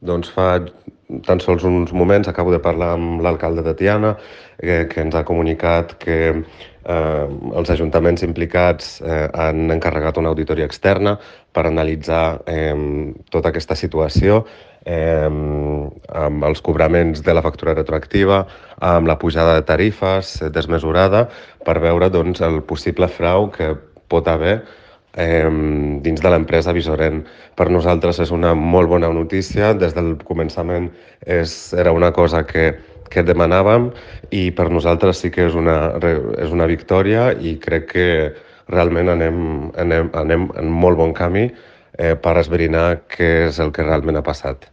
Doncs fa tan sols uns moments acabo de parlar amb l'alcalde de Tiana, que ens ha comunicat que els ajuntaments implicats han encarregat una auditoria externa per analitzar tota aquesta situació, amb els cobraments de la factura retroactiva, amb la pujada de tarifes desmesurada, per veure doncs, el possible frau que pot haver dins de l'empresa Visorent. Per nosaltres és una molt bona notícia. Des del començament era una cosa que demanàvem i per nosaltres sí que és una victòria i crec que realment anem en molt bon camí per esbrinar què és el que realment ha passat.